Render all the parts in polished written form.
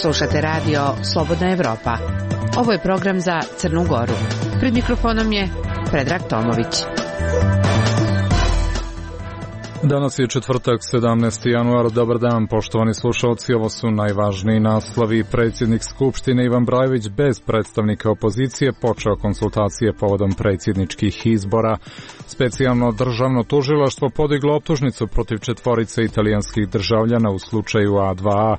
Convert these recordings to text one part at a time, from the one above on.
Slušate radio Slobodna Evropa. Ovo je program za Crnu Goru. Pred mikrofonom je Predrag Tomović. Danas je četvrtak, 17. januar. Dobar dan, poštovani slušalci. Ovo su najvažniji naslovi. Predsjednik Skupštine Ivan Brajević bez predstavnika opozicije počeo konsultacije povodom predsjedničkih izbora. Specijalno državno tužilaštvo podiglo optužnicu protiv 4 italijanskih državljana u slučaju A2A.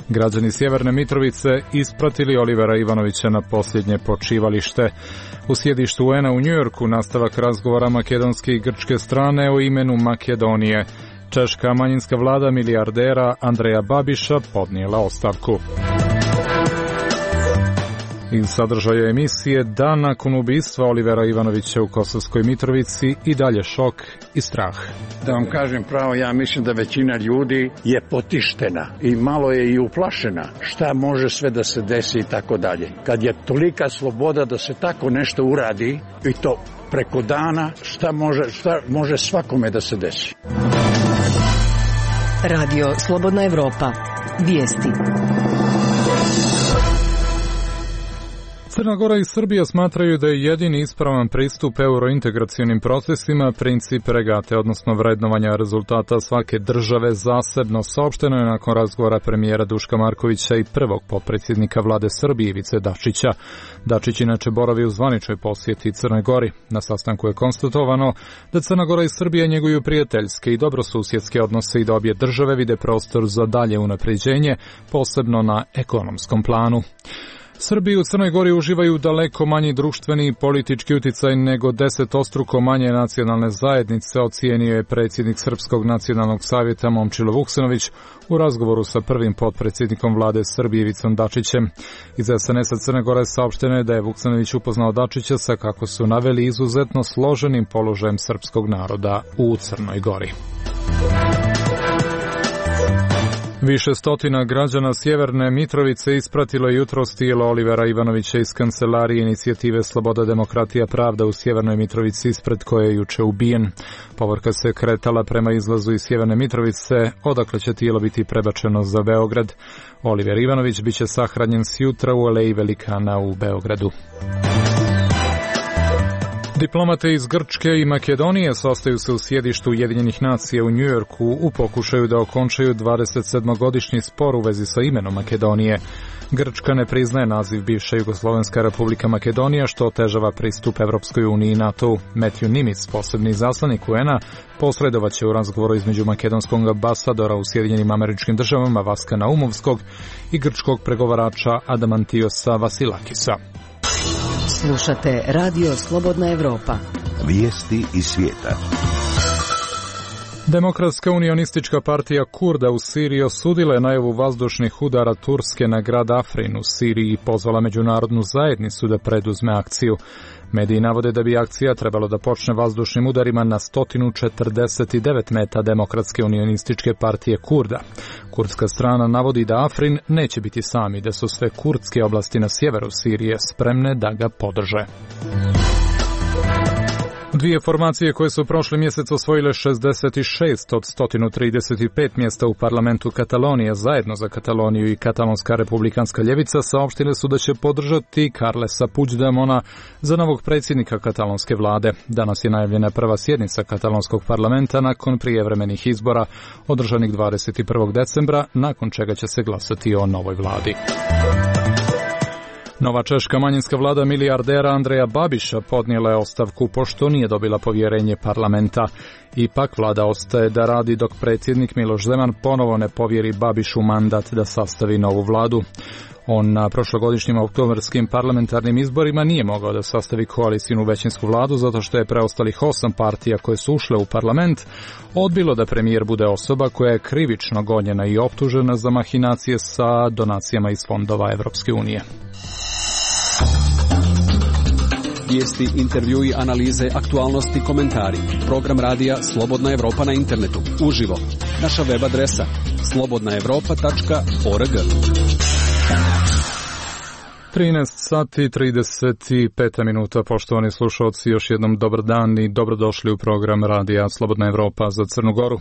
Građani Sjeverne Mitrovice ispratili Olivera Ivanovića na posljednje počivalište. U sjedištu UN-a u Njujorku nastavak razgovora makedonske i grčke strane o imenu Makedonije. Češka manjinska vlada milijardera Andreja Babiša podnijela ostavku. Iz sadržaja emisije dan nakon ubistva Olivera Ivanovića u Kosovskoj Mitrovici i dalje šok i strah. Da vam kažem pravo, ja mislim da većina ljudi je potištena i malo je i uplašena šta može sve da se desi i tako dalje. Kad je tolika sloboda da se tako nešto uradi i to preko dana, šta može svakome da se desi. Radio Slobodna Evropa. Vijesti. Crna Gora i Srbija smatraju da je jedini ispravan pristup eurointegracionim procesima princip regate, odnosno vrednovanja rezultata svake države zasebno. Saopšteno je nakon razgovora premijera Duška Markovića i prvog potpredsjednika vlade Srbije Ivice Dačića. Dačić inače boravi u zvaničnoj posjeti Crnoj Gori. Na sastanku je konstatovano da Crna Gora i Srbija njeguju prijateljske i dobrosusjedske odnose i da obje države vide prostor za dalje unapređenje, posebno na ekonomskom planu. Srbi u Crnoj Gori uživaju daleko manji društveni i politički uticaj nego 10-struko manje nacionalne zajednice, ocijenio je predsjednik Srpskog nacionalnog savjeta Momčilo Vuksanović u razgovoru sa prvim potpredsjednikom vlade Srbije Ivicom Dačićem. Iz SNS-a Crne Gore saopšteno je da je Vuksanović upoznao Dačića sa, kako su naveli, izuzetno složenim položajem srpskog naroda u Crnoj Gori. Više stotina građana Sjeverne Mitrovice ispratilo jutros tijelo Olivera Ivanovića iz kancelarije inicijative Sloboda, demokratija, pravda u Sjevernoj Mitrovici, ispred koje je juče ubijen. Povorka se kretala prema izlazu iz Sjeverne Mitrovice, odakle će tijelo biti prebačeno za Beograd. Oliver Ivanović biće sahranjen sjutra u Aleji Velikana u Beogradu. Diplomate iz Grčke i Makedonije sastaju se u sjedištu Ujedinjenih nacija u Njujorku u pokušaju da okončaju 27-godišnji spor u vezi sa imenom Makedonije. Grčka ne priznaje naziv bivša Jugoslovenska republika Makedonija, što otežava pristup Evropskoj uniji i NATO-u. Matthew Nimitz, posebni izaslanik UN-a, posredovaće u razgovoru između makedonskog ambasadora u Sjedinjenim Američkim Državama Vaska Naumovskog i grčkog pregovarača Adamantiosa Vasilakisa. Slušate Radio Slobodna Evropa. Vijesti iz svijeta. Demokratska unionistička partija Kurda u Siriji osudila je najavu vazdušnih udara Turske na grad Afrin u Siriji i pozvala međunarodnu zajednicu da preduzme akciju. Mediji navode da bi akcija trebalo da počne vazdušnim udarima na 149 meta Demokratske unionističke partije Kurda. Kurdska strana navodi da Afrin neće biti sami, da su sve kurdske oblasti na sjeveru Sirije spremne da ga podrže. Dvije formacije koje su prošli mjesec osvojile 66 od 135 mjesta u parlamentu Katalonije, zajedno za Kataloniju i Katalonska republikanska ljevica, saopštile su da će podržati Carlesa Puigdemona za novog predsjednika katalonske vlade. Danas je najavljena prva sjednica katalonskog parlamenta nakon prijevremenih izbora održanih 21. decembra, nakon čega će se glasati o novoj vladi. Nova češka manjinska vlada milijardera Andreja Babiša podnijela je ostavku pošto nije dobila povjerenje parlamenta. Ipak vlada ostaje da radi dok predsjednik Miloš Zeman ponovo ne povjeri Babišu mandat da sastavi novu vladu. On na prošlogodišnjim oktobarskim parlamentarnim izborima nije mogao da sastavi koalicijnu većinsku vladu zato što je preostalih 8 partija koje su ušle u parlament odbilo da premijer bude osoba koja je krivično gonjena i optužena za mahinacije sa donacijama iz fondova Evropske unije. Vijesti, intervjui, analize, aktualnosti, komentari. Program radija Slobodna Evropa na internetu. Uživo. Naša web adresa slobodnaevropa.org. 13 sati 35 minuta, poštovani slušalci, još jednom dobar dan i dobrodošli u program Radija Slobodna Evropa za Crnu Goru.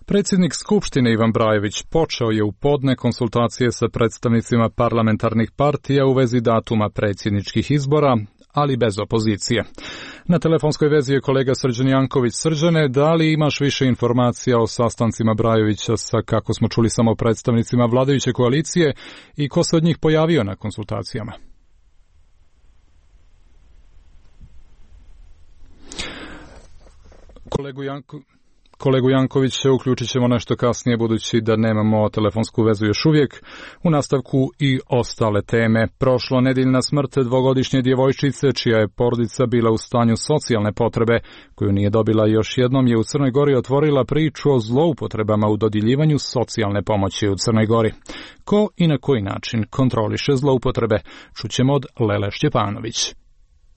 Predsjednik Skupštine Ivan Brajević počeo je u podne konsultacije sa predstavnicima parlamentarnih partija u vezi datuma predsjedničkih izbora, ali bez opozicije. Na telefonskoj vezi je kolega Srđan Janković. Srđane, da li imaš više informacija o sastancima Brajevića sa, kako smo čuli, samo predstavnicima vladajuće koalicije i ko se od njih pojavio na konsultacijama? Kolegu Jankovića uključit ćemo nešto kasnije, budući da nemamo telefonsku vezu još uvijek. U nastavku i ostale teme. Prošlonedeljna smrt dvogodišnje djevojčice, čija je porodica bila u stanju socijalne potrebe, koju nije dobila još jednom, je u Crnoj Gori otvorila priču o zloupotrebama u dodjeljivanju socijalne pomoći u Crnoj Gori. Ko i na koji način kontroliše zloupotrebe, čućemo od Lele Šćepanović.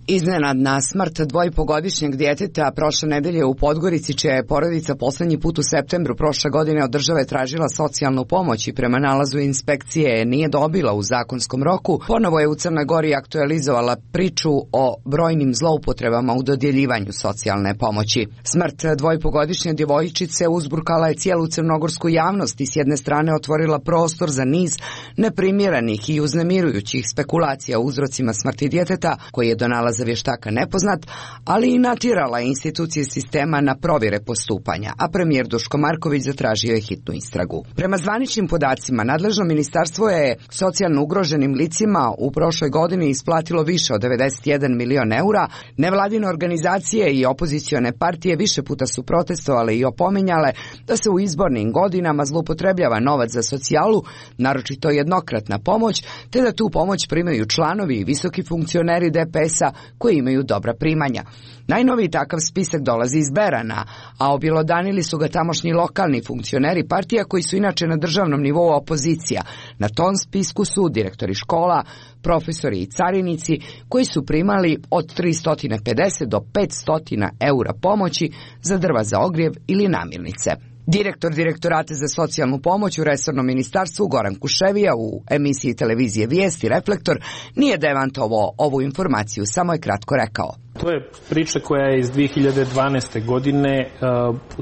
Iznenadna smrt dvojpogodišnjeg djeteta prošle nedelje u Podgorici, čija je porodica posljednji put u septembru prošle godine od države tražila socijalnu pomoć i prema nalazu inspekcije nije dobila u zakonskom roku, ponovo je u Crnoj Gori aktualizovala priču o brojnim zloupotrebama u dodjeljivanju socijalne pomoći. Smrt dvojpogodišnje djevojčice uzburkala je cijelu crnogorsku javnost i s jedne strane otvorila prostor za niz neprimjerenih i uznemirujućih spekulacija o uzrocima smrti djeteta, koji je do nalaza vještaka nepoznat, ali i natjerala institucije sistema na provjere postupanja, a premijer Duško Marković zatražio je hitnu istragu. Prema zvaničnim podacima, nadležno ministarstvo je socijalno ugroženim licima u prošloj godini isplatilo više od 91 milion eura. Nevladine organizacije i opozicione partije više puta su protestovale i opominjale da se u izbornim godinama zloupotrebljava novac za socijalu, naročito jednokratna pomoć, te da tu pomoć primaju članovi i visoki funkcioneri DPS-a koji imaju dobra primanja. Najnoviji takav spisak dolazi iz Berana, a objelodanili su ga tamošnji lokalni funkcioneri partija koji su inače na državnom nivou opozicija. Na tom spisku su direktori škola, profesori i carinici koji su primali od 350 do 500 eura pomoći za drva za ogrjev ili namirnice. Direktor Direktorata za socijalnu pomoć u resornom ministarstvu Goran Kuševija u emisiji televizije Vijesti Reflektor nije demantovao ovu informaciju, samo je kratko rekao. To je priča koja je iz 2012. godine,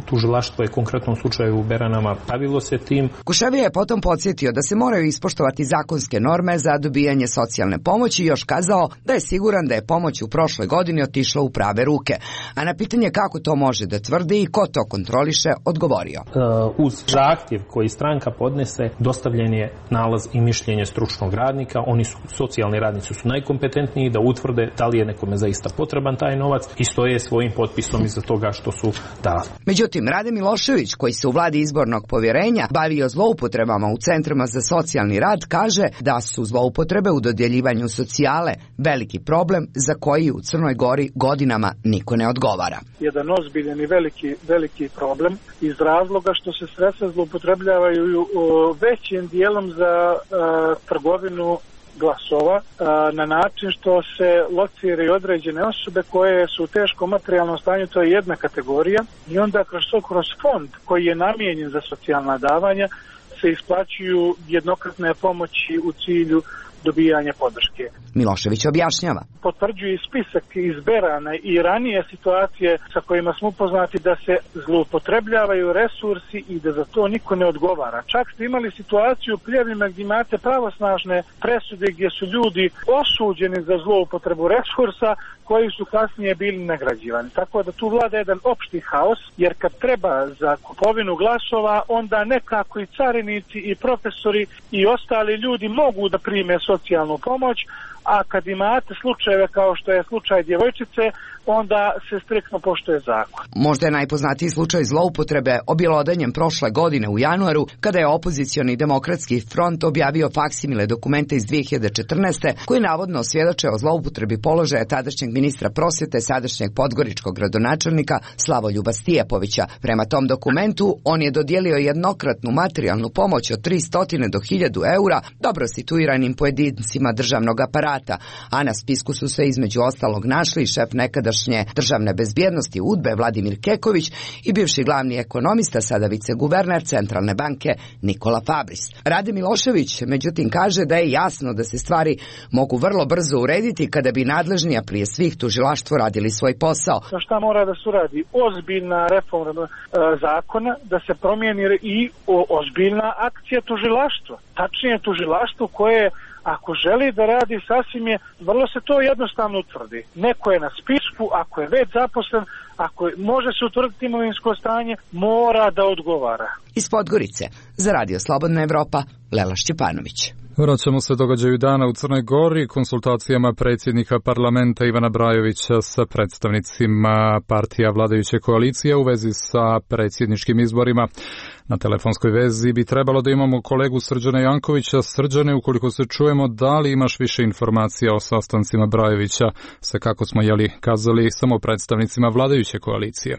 tužilaštvo je konkretno u slučaju u Beranama bavilo se tim. Kuševija je potom podsjetio da se moraju ispoštovati zakonske norme za dobijanje socijalne pomoći i još kazao da je siguran da je pomoć u prošloj godini otišla u prave ruke. A na pitanje kako to može da tvrdi i ko to kontroliše, odgovorio. Uz zahtjev koji stranka podnese, dostavljen je nalaz i mišljenje stručnog radnika. Oni su, socijalni radnici su najkompetentniji da utvrde da li je nekome zaista potreban taj novac i stoje svojim potpisom iza toga što su dali. Međutim, Rade Milošević, koji se u vladi izbornog povjerenja bavio zloupotrebama u centrima za socijalni rad, kaže da su zloupotrebe u dodjeljivanju socijale veliki problem za koji u Crnoj Gori godinama niko ne odgovara. Jedan ozbiljan i veliki problem iz razloga što se sredstva zloupotrebljavaju većim dijelom za trgovinu glasova na način što se lociraju određene osobe koje su u teškom materijalnom stanju, to je jedna kategorija, i onda kroz fond koji je namijenjen za socijalna davanja se isplaćuju jednokratne pomoći u cilju dobijanja podrške. Milošević objašnjava. Potvrđuje spisak iz Berana i ranije situacije sa kojima smo upoznati da se zloupotrebljavaju resursi i da za to niko ne odgovara. Čak ste imali situaciju u prijavljima gdje imate pravosnažne presude gdje su ljudi osuđeni za zloupotrebu resursa koji su kasnije bili nagrađivani. Tako da tu vlada jedan opšti haos, jer kad treba za kupovinu glasova, onda nekako i carinici i profesori i ostali ljudi mogu da prime socijalnu pomoć, a kad imate slučajeve kao što je slučaj djevojčice, onda se striktno poštuje zakon. Možda je najpoznatiji slučaj zloupotrebe objelodanjem prošle godine u januaru, kada je opozicioni demokratski front objavio faksimile dokumente iz 2014. koji navodno svjedoče o zloupotrebi položaja tadašnjeg ministra prosvjete, sadašnjeg podgoričkog gradonačelnika Slavoljuba Stijepovića. Prema tom dokumentu on je dodijelio jednokratnu materijalnu pomoć od 300 do 1000 eura dobro situiranim pojedincima državnog aparata. sata, a na spisku su se između ostalog našli i šef nekadašnje državne bezbjednosti UDBE Vladimir Keković i bivši glavni ekonomista, sada viceguverner Centralne banke Nikola Fabris. Rade Milošević, međutim, kaže da je jasno da se stvari mogu vrlo brzo urediti kada bi nadležni, a prije svih tužilaštvo, radili svoj posao. Šta mora da se uradi? Ozbiljna reforma zakona, da se promijeni i ozbiljna akcija tužilaštva. Tačnije tužilaštvo koje, ako želi da radi, sasvim je, vrlo se to jednostavno utvrdi. Neko je na spisku, ako je već zaposlen, ako može se utvrditi imovinsko stanje, mora da odgovara. Iz Podgorice, za Radio Slobodna Evropa, Lela Šćepanović. Vraćamo se događaju dana u Crnoj Gori, konsultacijama predsjednika parlamenta Ivana Brajovića sa predstavnicima partija vladajuće koalicije u vezi sa predsjedničkim izborima. Na telefonskoj vezi bi trebalo da imamo kolegu Srđana Jankovića. Srđane, ukoliko se čujemo, da li imaš više informacija o sastancima Brajovića sa, kako smo kazali, samo predstavnicima vladajuće koalicije?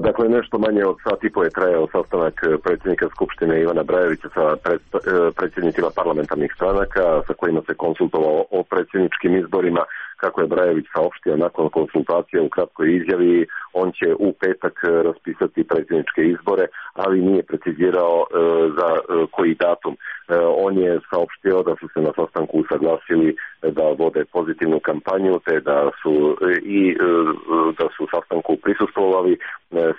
Dakle, nešto manje od sat i po je trajao sastanak predsjednika Skupštine Ivana Brajovića sa predsjednicima parlamentarnih stranaka sa kojima se konsultovao o predsjedničkim izborima. Kako je Brajović saopštio nakon konsultacija u kratkoj izjavi, on će u petak raspisati predsjedničke izbore, ali nije precizirao za koji datum. On je saopštio da su se na sastanku usaglasili da vode pozitivnu kampanju, te da su sastanku prisustvovali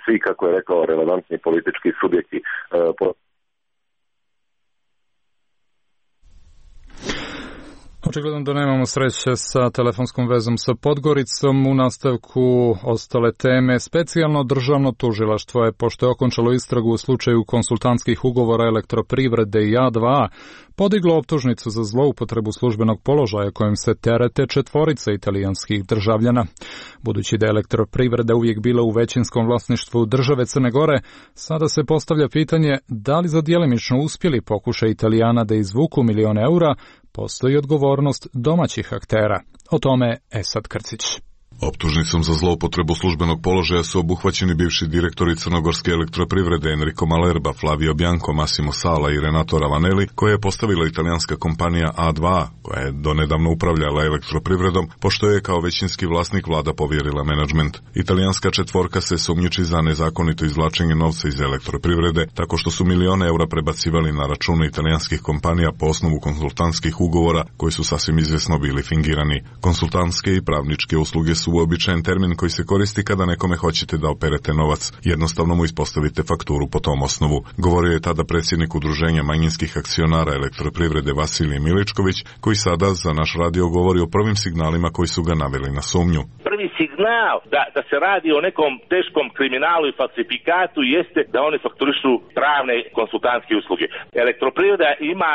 svi, kako je rekao, relevantni politički subjekti. Očigledno da nemamo sreće sa telefonskom vezom sa Podgoricom. U nastavku ostale teme. Specijalno državno tužilaštvo je, pošto je okončalo istragu u slučaju konsultantskih ugovora Elektroprivrede i A2, podiglo optužnicu za zloupotrebu službenog položaja kojim se terete 4 italijanskih državljana. Budući da je Elektroprivreda uvijek bila u većinskom vlasništvu države Crne Gore, sada se postavlja pitanje da li za djelimično uspjeli pokušaj Italijana da izvuku milione eura postoji odgovornost domaćih aktera. O tome Esad Krcić. Optužnicom za zloupotrebu službenog položaja su obuhvaćeni bivši direktori Crnogorske elektroprivrede Enrico Malerba, Flavio Bianco, Massimo Sala i Renato Ravanelli, koje je postavila italijanska kompanija A2, koja je donedavno upravljala elektroprivredom, pošto je kao većinski vlasnik vlada povjerila menadžment. Italijanska četvorka se sumnjiči za nezakonito izvlačenje novca iz elektroprivrede, tako što su milione eura prebacivali na račune italijanskih kompanija po osnovu konsultantskih ugovora, koji su sasvim izvjesno bili fingirani. Konsultantske i pravničke usluge su uobičajen termin koji se koristi kada nekome hoćete da operete novac. Jednostavno mu ispostavite fakturu po tom osnovu. Govorio je tada predsjednik Udruženja manjinskih akcionara elektroprivrede Vasilij Miličković, koji sada za naš radio govori o prvim signalima koji su ga naveli na sumnju. Prvi signal da se radi o nekom teškom kriminalu i falsifikatu jeste da oni fakturišu pravne konsultantske usluge. Elektroprivreda ima,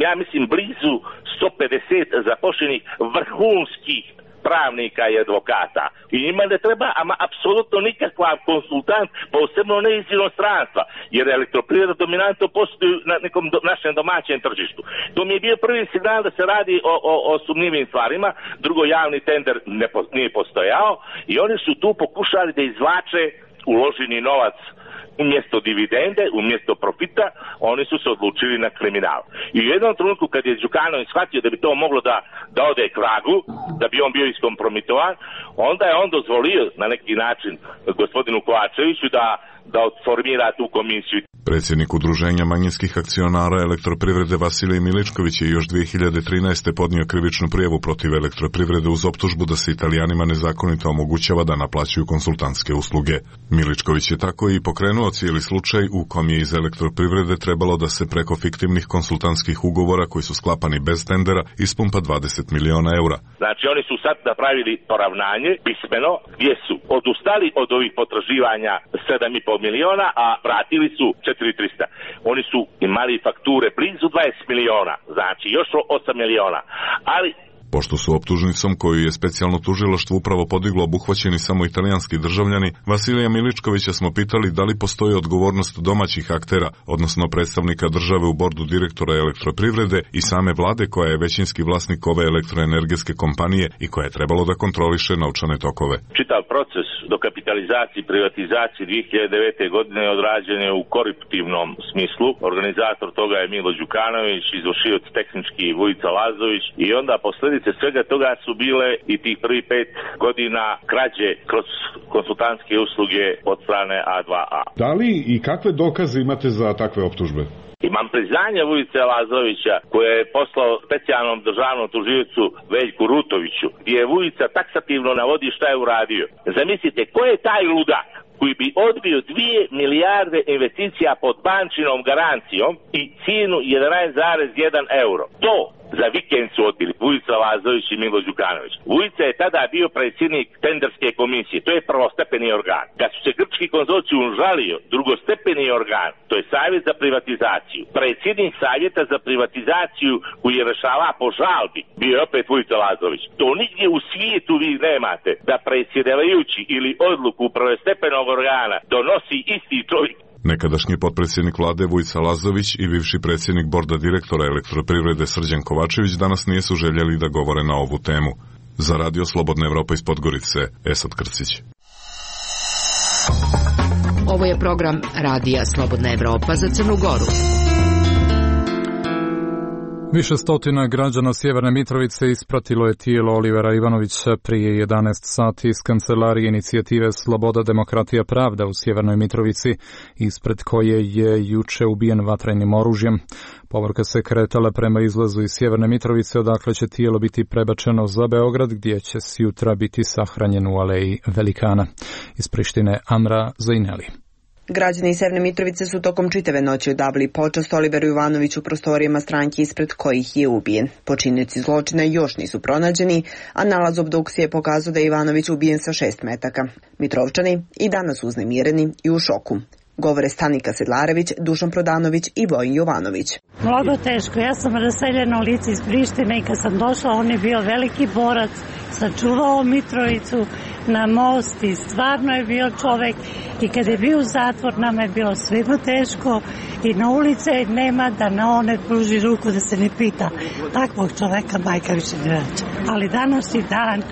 ja mislim, blizu 150 zaposlenih vrhunskih pravnika i advokata. I njima ne treba apsolutno nikakva konsultant, posebno ne iz inostranstva, jer elektroprivreda dominantno postoji na nekom našem domaćem tržištu. To mi je bio prvi signal da se radi o sumnjivim stvarima. Drugo, javni tender nije postojao i oni su tu pokušali da izvlače uloženi novac umjesto dividende, umjesto profita, oni su se odlučili na kriminal. I u jednom trenutku kad je Đukanović shvatio da bi to moglo da ode k vragu, da bi on bio iskompromitovan, onda je on dozvolio na neki način gospodinu Kovačeviću da formira tu komisiju. Predsjednik Udruženja manjinskih akcionara elektroprivrede Vasilij Miličković je još 2013. podnio krivičnu prijavu protiv elektroprivrede uz optužbu da se Italijanima nezakonito omogućava da naplaćuju konsultantske usluge. Miličković je tako i pokrenuo cijeli slučaj u kom je iz elektroprivrede trebalo da se preko fiktivnih konsultantskih ugovora koji su sklapani bez tendera ispumpa 20 miliona eura. Znači oni su sad napravili poravnanje pismeno gdje su odustali od ovih potraživanja 7,5 miliona, a vratili su 4.300. Oni su imali fakture blizu 20 miliona, znači još 8 miliona. Ali Pošto su optužnicom koju je specijalno tužilaštvo upravo podiglo obuhvaćeni samo italijanski državljani, Vasilija Miličkovića smo pitali da li postoji odgovornost domaćih aktera, odnosno predstavnika države u bordu direktora Elektroprivrede i same vlade koja je većinski vlasnik ove elektroenergetske kompanije i koja je trebalo da kontroliše novčane tokove. Čitav proces dokapitalizacije i privatizacije 2009. godine odrađen je u koruptivnom smislu. Organizator toga je Milo Đukanović, izvršioc tehnički Vujica Lazović i onda posljedice svega toga su bile i tih prvih 5 godina krađe kroz konsultantske usluge od strane A2A. Da li i kakve dokaze imate za takve optužbe? Imam priznanje Vujice Lazovića koje je poslao specijalnom državnom tužiocu Veljku Rutoviću, gdje je Vujica taksativno navodi šta je uradio. Zamislite, ko je taj ludak koji bi odbio 2 milijarde investicija pod bančinom garancijom i cijenu 11,1 euro? To za vikend su odbili Vujica Lazović i Milo Đukanović. Vujica je tada bio predsjednik tenderske komisije, to je prvostepeni organ. Kad su se grčki konzorcijum žalio, drugostepeni organ, to je savjet za privatizaciju. Predsjednik savjeta za privatizaciju koji je rešava po žalbi, bio je opet Vujica Lazović. To nigdje u svijetu vi nemate da predsjedavajući ili odluku prvostepenog organa donosi isti čovjek. Nekadašnji potpredsjednik vlade Vujica Lazović i bivši predsjednik borda direktora Elektroprivrede Srđan Kovačević danas nisu željeli da govore na ovu temu. Za Radio Slobodna Evropa iz Podgorice, Esad Krcić. Ovo je program Radija Slobodna Evropa za Crnu Goru. Više stotina građana Sjeverne Mitrovice ispratilo je tijelo Olivera Ivanovića prije 11 sati iz kancelarije inicijative Sloboda, demokratija, pravda u Sjevernoj Mitrovici, ispred koje je juče ubijen vatrenim oružjem. Povorka se kretala prema izlazu iz Sjeverne Mitrovice, odakle će tijelo biti prebačeno za Beograd, gdje će sjutra biti sahranjen u aleji Velikana. Iz Prištine Amra Zajneli. Građani Sjeverne Mitrovice su tokom čitave noći odavili počast Oliveru Ivanoviću u prostorijama stranke ispred kojih je ubijen. Počinioci zločina još nisu pronađeni, a nalaz obdukcije je pokazao da je Ivanović ubijen sa 6 metaka. Mitrovčani i danas uznemireni i u šoku. Govore Stanika Sedlarević, Dušan Prodanović i Vojin Jovanović. Mnogo teško. Ja sam raseljeno lice iz Prištine i kad sam došla, on je bio veliki borac, sačuvao Mitrovicu na most i stvarno je bio čovek. I kad je bio u zatvor, nama je bilo svima teško i na ulice nema da na one pruži ruku da se ne pita. Takvog čoveka majka više ne vraća. Ali današnji dan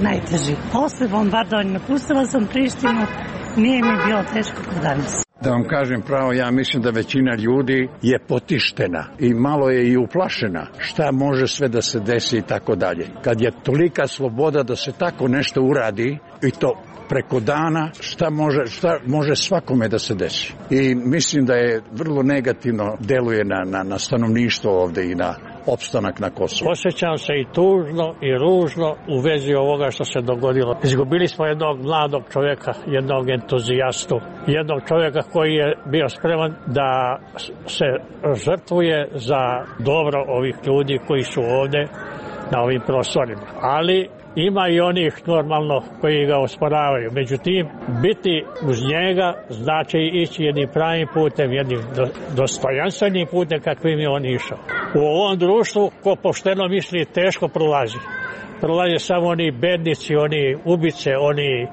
najteži. Posle bombardovanja napustila sam Prištinu, nije mi bilo teško kao danas. Da vam kažem pravo, ja mislim da većina ljudi je potištena i malo je i uplašena šta može sve da se desi i tako dalje. Kad je tolika sloboda da se tako nešto uradi i to preko dana, šta može svakome da se desi. I mislim da je vrlo negativno deluje na stanovništvo ovde i na opstanak na Kosovu. Osjećam se i tužno i ružno u vezi ovoga što se dogodilo. Izgubili smo jednog mladog čovjeka, jednog entuzijastu, jednog čovjeka koji je bio spreman da se žrtvuje za dobro ovih ljudi koji su ovde na ovim prostorima. Ali ima i onih normalno koji ga osporavaju. Međutim, biti uz njega znači ići jednim pravim putem, jednim dostojanstvenim putem kakvim je on išao. U ovom društvu ko pošteno misli teško prolazi. Prolaze samo oni bednici, oni ubice, oni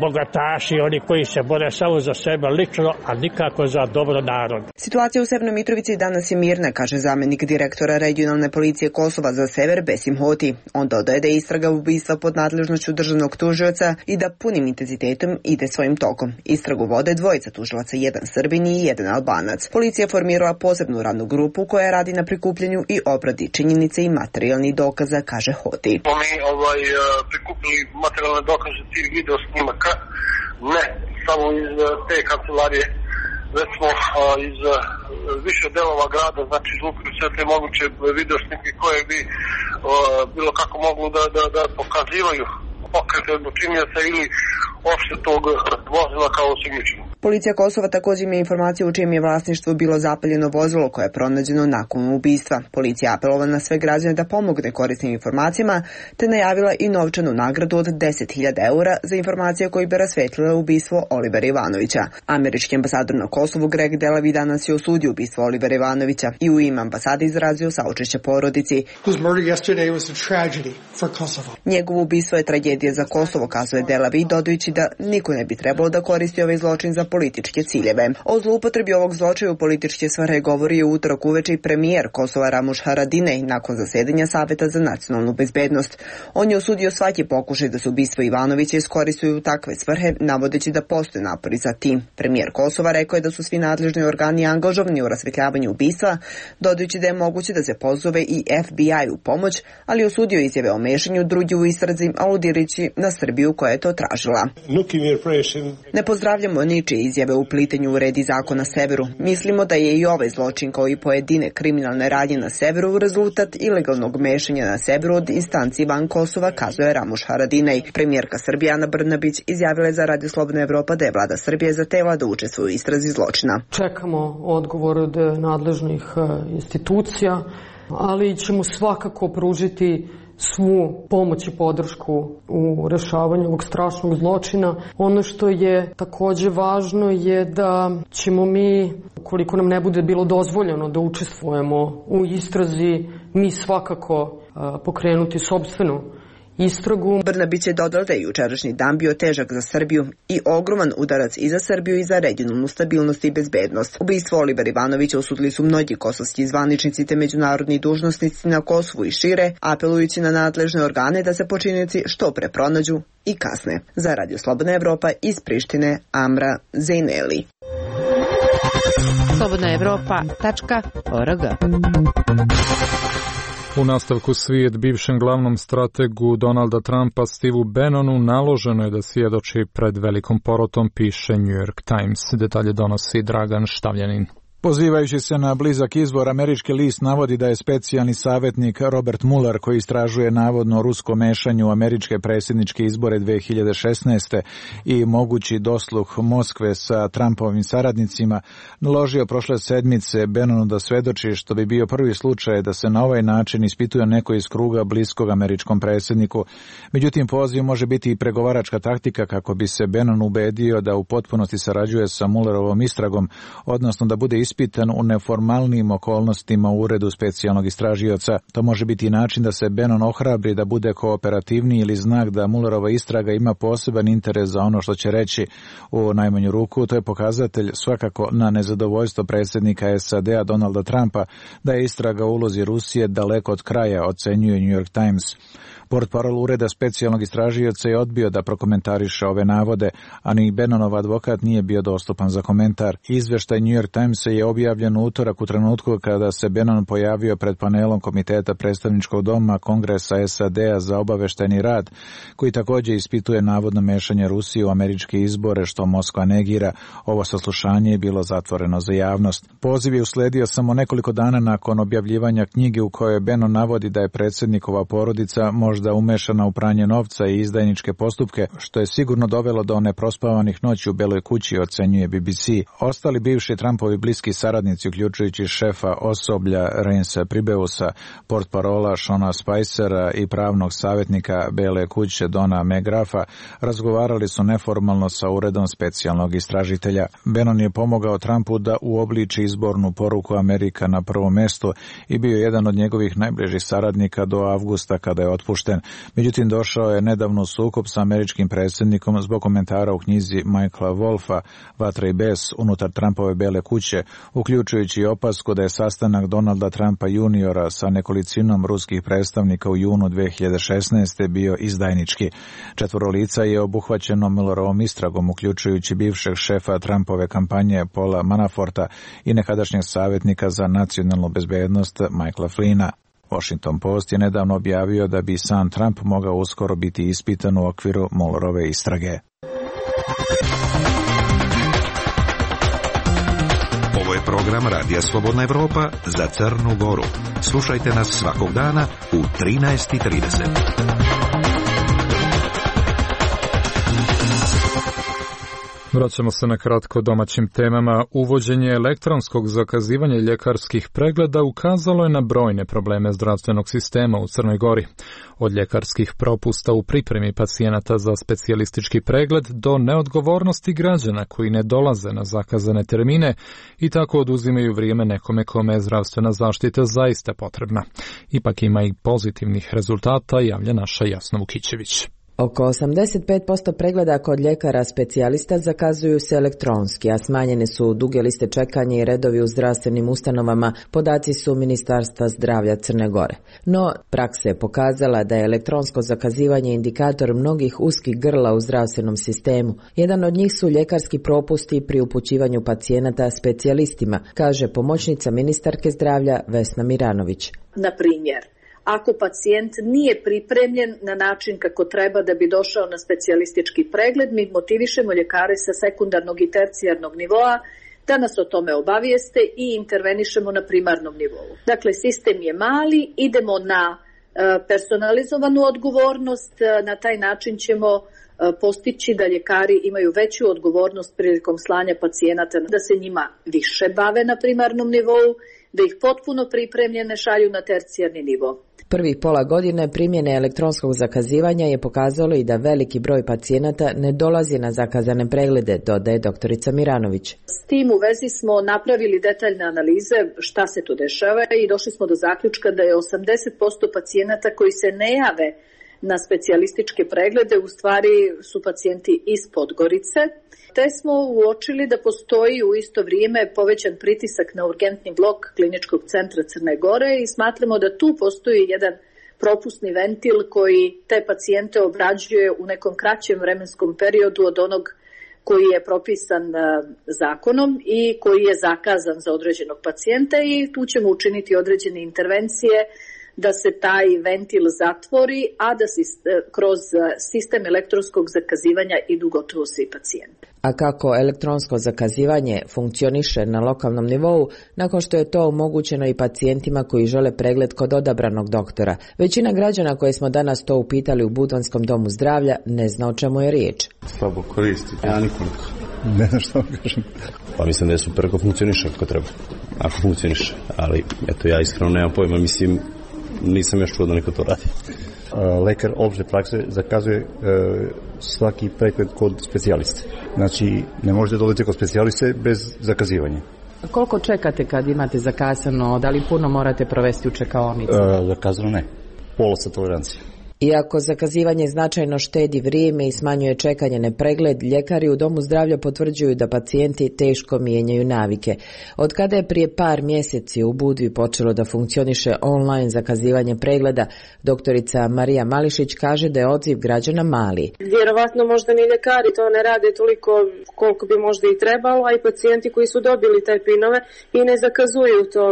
bogataši, oni koji se bore samo za sebe lično, a nikako za dobro narod. Situacija u Sjevernoj Mitrovici danas je mirna, kaže zamjenik direktora regionalne policije Kosova za sever Besim Hoti. On dodaje da je istraga ubistva pod nadležnošću državnog tužioca i da punim intenzitetom ide svojim tokom. Istragu vode dvojica tužilaca, jedan Srbin i jedan Albanac. Policija formirala posebnu radnu grupu koja radi na prikupljanju i obradi činjenice i materijalnih dokaza, kaže Hoti. Prikupili materijalne dokaze tih video snimaka, ne samo iz te kancelarije, već smo iz više delova grada, znači izlupili sve te moguće video snimke koje bi bilo kako moglo da pokazivaju pokrete počinioca ili uopšte tog vozila kao osumnjičenog. Policija Kosova također ima informaciju u čijem je vlasništvu bilo zapaljeno vozilo koje je pronađeno nakon ubistva. Policija apelovala na sve građane da pomogne korisnim informacijama, te najavila i novčanu nagradu od 10.000 eura za informacije koje bi rasvetlile ubistvo Olivera Ivanovića. Američki ambasador na Kosovu Greg Delavi danas je osudio ubistvo Olivera Ivanovića i u ime ambasade izrazio saučešće porodici. Njegovo ubistvo je tragedija za Kosovo, kazuje Delavi, dodajući da niko ne bi trebalo da koristi ovaj zločin za političke ciljeve. O zloupotrebi ovog zločina u političke svrhe govori je u utorak uveče i premijer Kosova Ramuš Haradinaj nakon zasedanja Saveta za nacionalnu bezbednost. On je osudio svaki pokušaj da se ubistvo Ivanovića iskoristuju u takve svrhe, navodeći da postoje napori za tim. Premijer Kosova rekao je da su svi nadležni organi angažovani u rasvetljavanju ubistva, dodajući da je moguće da se pozove i FBI u pomoć, ali osudio izjave o mešanju drugih u istrazi, aludirajući na Srbiju koja je to tražila. Ne pozdravljamo ničije izjave u plitenju u red i zakon na severu. Mislimo da je i ovaj zločin kao i pojedine kriminalne radnje na severu rezultat ilegalnog mešanja na severu od instanci van Kosova, kazuje Ramuš Haradinaj. Premijerka Srbije Ana Brnabić izjavila je za Radio Slobodna Evropa da je vlada Srbije zahtela da učestvuje u istrazi zločina. Čekamo odgovor od nadležnih institucija, ali ćemo svakako pružiti svu pomoć i podršku u rešavanju ovog strašnog zločina. Ono što je takođe važno je da ćemo mi, ukoliko nam ne bude bilo dozvoljeno da učestvujemo u istrazi, mi svakako pokrenuti sopstvenu istragu. Brnabić je dodao da je jučerašnji dan bio težak za Srbiju i ogroman udarac i za Srbiju i za regionalnu stabilnost i bezbednost. Ubistvo Olivera Ivanovića osudili su mnogi kosovski zvaničnici te međunarodni dužnosnici na Kosovu i šire, apelujući na nadležne organe da se počinioci što pre pronađu i kasne. Za Radio Slobodna Evropa iz Prištine, Amra Zejneli. slobodnaevropa.org. U nastavku svijet bivšem glavnom strategu Donalda Trumpa Steveu Bannonu naloženo je da svjedoči pred velikom porotom, piše New York Times. Detalje donosi Dragan Štavljanin. Pozivajući se na blizak izbor, američki list navodi da je specijalni savjetnik Robert Mueller, koji istražuje navodno rusko mešanje u američke predsjedničke izbore 2016. i mogući dosluh Moskve sa Trumpovim saradnicima, naložio prošle sedmice Bannonu da svedoči, što bi bio prvi slučaj da se na ovaj način ispituje neko iz kruga bliskog američkom predsjedniku. Međutim, poziv može biti i pregovaračka taktika kako bi se Bannon ubedio da u potpunosti sarađuje sa Muellerovom istragom, odnosno da bude ispitan u neformalnim okolnostima u uredu specijalnog istražioca. To može biti i način da se Bannon ohrabri da bude kooperativniji ili znak da Muellerova istraga ima poseban interes za ono što će reći. U najmanju ruku to je pokazatelj svakako na nezadovoljstvo predsjednika SAD-a Donalda Trumpa da je istraga u ulozi Rusije daleko od kraja, ocenjuje New York Times. Portparol ureda specijalnog istražioca je odbio da prokomentariše ove navode, a ni Bannonov advokat nije bio dostupan za komentar. Izveštaj New York Timesa je objavljen u utorak u trenutku kada se Bannon pojavio pred panelom Komiteta predstavničkog doma Kongresa SAD-a za obaveštajni rad, koji također ispituje navodno mešanje Rusije u američke izbore, što Moskva negira. Ovo saslušanje je bilo zatvoreno za javnost. Poziv je usledio samo nekoliko dana nakon objavljivanja knjige u kojoj Bannon navodi da je predsjednikova porodica možda umešana u pranje novca i izdajničke postupke, što je sigurno dovelo do neprospavanih noći u Beloj kući, ocenjuje BBC. Ostali bivši Trumpovi bliski saradnici, uključujući šefa osoblja Reinsa Pribeusa, portparola Shona Spicera i pravnog savjetnika Bele kuće Dona McGraffa, razgovarali su neformalno sa uredom specijalnog istražitelja. Bannon je pomogao Trumpu da uobliči izbornu poruku Amerika na prvom mjestu i bio jedan od njegovih najbližih saradnika do avgusta kada je otpušten. Međutim, došao je nedavno u sukob sa američkim predsjednikom zbog komentara u knjizi Michaela Wolfa Vatra i bes unutar Trumpove Bele kuće, uključujući i opasku da je sastanak Donalda Trumpa juniora sa nekolicinom ruskih predstavnika u junu 2016. bio izdajnički. 4 lica je obuhvaćeno Muellerovom istragom, uključujući bivšeg šefa Trumpove kampanje Paula Manaforta i nekadašnjeg savjetnika za nacionalnu bezbednost Michaela Flynna. Washington Post je nedavno objavio da bi sam Trump mogao uskoro biti ispitan u okviru Muellerove istrage. Ovo je program Radija Slobodna Evropa za Crnu Goru. Slušajte nas svakog dana u 13:30. Vraćamo se na kratko domaćim temama. Uvođenje elektronskog zakazivanja ljekarskih pregleda ukazalo je na brojne probleme zdravstvenog sistema u Crnoj Gori. Od ljekarskih propusta u pripremi pacijenata za specijalistički pregled do neodgovornosti građana koji ne dolaze na zakazane termine i tako oduzimaju vrijeme nekome kome je zdravstvena zaštita zaista potrebna. Ipak ima i pozitivnih rezultata, javlja naša Jasna Vukićević. Oko 85% pregleda kod ljekara specijalista zakazuju se elektronski, a smanjene su duge liste čekanja i redovi u zdravstvenim ustanovama, podaci su Ministarstva zdravlja Crne Gore. No, praksa je pokazala da je elektronsko zakazivanje indikator mnogih uskih grla u zdravstvenom sistemu. Jedan od njih su ljekarski propusti pri upućivanju pacijenata specijalistima, kaže pomoćnica ministarke zdravlja Vesna Miranović. Na primjer, ako pacijent nije pripremljen na način kako treba da bi došao na specijalistički pregled, mi motivišemo ljekare sa sekundarnog i tercijarnog nivoa da nas o tome obavijeste i intervenišemo na primarnom nivou. Dakle, sistem je mali, idemo na personalizovanu odgovornost, na taj način ćemo postići da ljekari imaju veću odgovornost prilikom slanja pacijenata, da se njima više bave na primarnom nivou, da ih potpuno pripremljene šalju na tercijarni nivo. Prvih pola godine primjene elektronskog zakazivanja je pokazalo i da veliki broj pacijenata ne dolazi na zakazane preglede, dodaje doktorica Miranović. S tim u vezi smo napravili detaljne analize šta se tu dešava i došli smo do zaključka da je 80% pacijenata koji se ne jave na specijalističke preglede u stvari su pacijenti iz Podgorice, te smo uočili da postoji u isto vrijeme povećan pritisak na urgentni blok Kliničkog centra Crne Gore i smatramo da tu postoji jedan propusni ventil koji te pacijente obrađuje u nekom kraćem vremenskom periodu od onog koji je propisan zakonom i koji je zakazan za određenog pacijenta i tu ćemo učiniti određene intervencije da se taj ventil zatvori, a da se kroz sistem elektronskog zakazivanja idu gotovo svi pacijenti. A kako elektronsko zakazivanje funkcioniše na lokalnom nivou, nakon što je to omogućeno i pacijentima koji žele pregled kod odabranog doktora. Većina građana koje smo danas to upitali u Budvanskom domu zdravlja ne zna o čemu je riječ. Slabo koristi, ja nikoliko. Ne znam što vam kažem. Pa mislim da je super ako funkcioniše kako treba. Ako funkcioniše, ali eto ja iskreno nemam pojma, mislim nisam još čuo da neko to radi. Lekar opšte prakse zakazuje svaki pregled kod specijaliste. Znači, ne možete dolaziti kod specijaliste bez zakazivanja. Koliko čekate kad imate zakazano? Da li puno morate provesti u čekaonici? Zakazano ne. Pola sa tolerancije. Iako zakazivanje značajno štedi vrijeme i smanjuje čekanje na pregled, ljekari u domu zdravlja potvrđuju da pacijenti teško mijenjaju navike. Od kada je prije par mjeseci u Budvi počelo da funkcioniše online zakazivanje pregleda, doktorica Marija Mališić kaže da je odziv građana mali. Vjerovatno možda ni ljekari to ne rade toliko koliko bi možda i trebalo, a i pacijenti koji su dobili taj pinove i ne zakazuju to.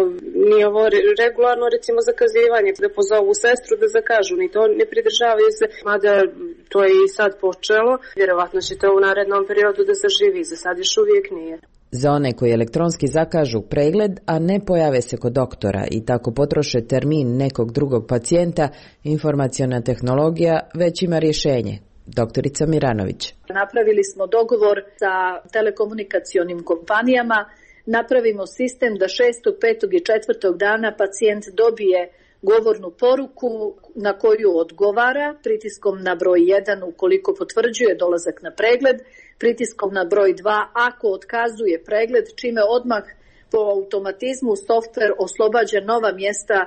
Nije ovo regularno recimo zakazivanje, da pozovu sestru da zakažu, ni to ne pridržavaju se, mada to je i sad počelo. Vjerovatno će to u narednom periodu da zaživi, za sad još uvijek nije. Za one koji elektronski zakažu pregled, a ne pojave se kod doktora i tako potroše termin nekog drugog pacijenta, informaciona tehnologija već ima rješenje. Doktorica Miranović. Napravili smo dogovor sa telekomunikacionim kompanijama, napravimo sistem da 6., 5. i 4. dana pacijent dobije govornu poruku na koju odgovara pritiskom na broj 1 ukoliko potvrđuje dolazak na pregled, pritiskom na broj 2 ako otkazuje pregled, čime odmah po automatizmu softver oslobađa nova mjesta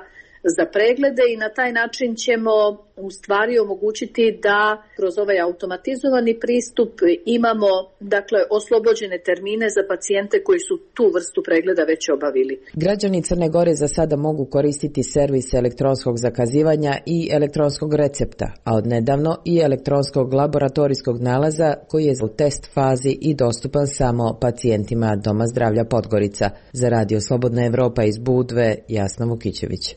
za preglede i na taj način ćemo u stvari omogućiti da kroz ovaj automatizovani pristup imamo dakle oslobođene termine za pacijente koji su tu vrstu pregleda već obavili. Građani Crne Gore za sada mogu koristiti servis elektronskog zakazivanja i elektronskog recepta, a odnedavno i elektronskog laboratorijskog nalaza koji je u test fazi i dostupan samo pacijentima Doma zdravlja Podgorica. Za Radio Slobodna Evropa iz Budve, Jasna Vukićević.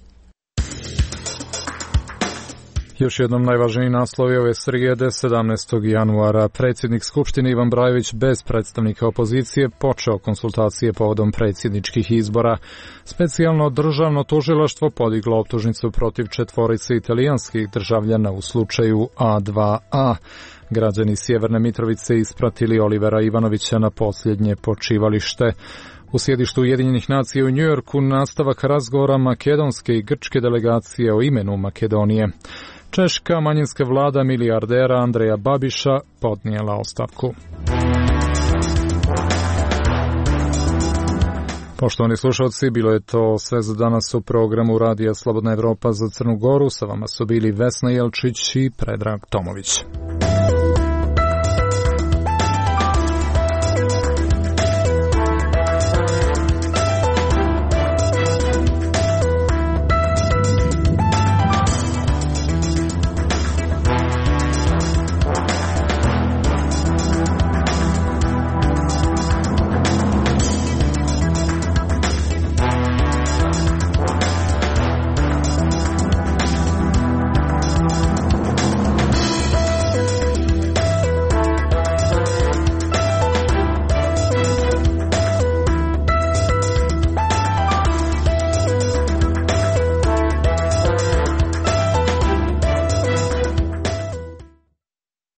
Još jednom najvažniji naslov je ove srijede 17. januara. Predsjednik Skupštine Ivan Brajović bez predstavnika opozicije počeo konsultacije povodom predsjedničkih izbora. Specijalno državno tužilaštvo podiglo optužnicu protiv 4 italijanskih državljana u slučaju A2A. Građani Sjeverne Mitrovice ispratili Olivera Ivanovića na posljednje počivalište. U sjedištu Ujedinjenih nacija u Njujorku nastavak razgovora makedonske i grčke delegacije o imenu Makedonije. Češka manjinska vlada milijardera Andreja Babiša podnijela ostavku. Poštovani slušalci, bilo je to sve za danas u programu Radija Slobodna Evropa za Crnu Goru. Sa vama su bili Vesna Jelčić i Predrag Tomović.